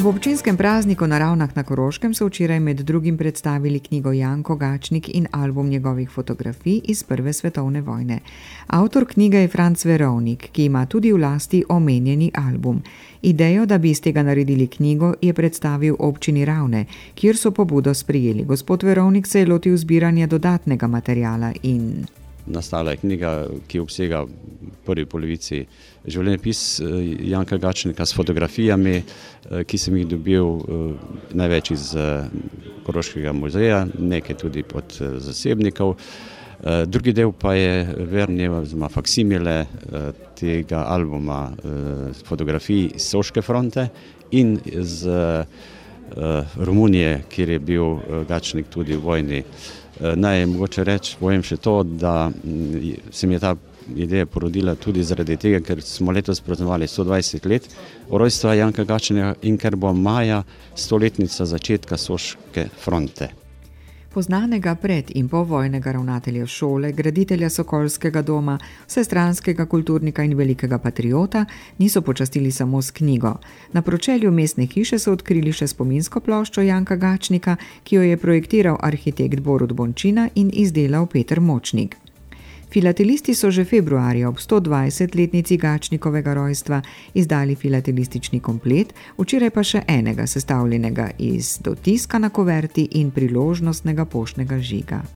Ob občinskem prazniku na Ravnah na Koroškem so včeraj med drugim predstavili knjigo Janko Gačnik in album njegovih fotografij iz Prve svetovne vojne. Avtor knjige je Franc Verovnik, ki ima tudi v lasti omenjeni album. Idejo, da bi iz tega naredili knjigo, je predstavil občini Ravne, kjer so pobudo sprejeli. Gospod Verovnik se je lotil zbiranja dodatnega materiala in... Nastala je knjiga, ki obsega v prvi polovici življenjepis Janka Gačnika s fotografijami, ki sem jih dobil največ iz Koroškega muzeja, nekaj tudi od zasebnikov. Drugi del pa je verni oziroma faksimile tega albuma fotografij s Soške fronte in z Romunije, kjer je bil Gačnik tudi v vojni. Naj mogoče povem še to, da se mi je ta ideja porodila tudi zaradi tega, ker smo letos praznovali 120 let rojstva Janka Gačnika in ker bo maja 100-letnica začetka Soške fronte. Poznanega pred- in povojnega ravnatelja šole, graditelja Sokolskega doma, vsestranskega kulturnika in velikega patriota niso počastili samo s knjigo. Na pročelju mestne hiše so odkrili še spominsko ploščo Janka Gačnika, ki jo je projektiral arhitekt Borut Bončina in izdelal Peter Močnik. Filatelisti so že februarja ob 120-letnici Gačnikovega rojstva izdali filatelistični komplet, včeraj pa še enega sestavljenega iz dotiska na kuverti in priložnostnega poštnega žiga.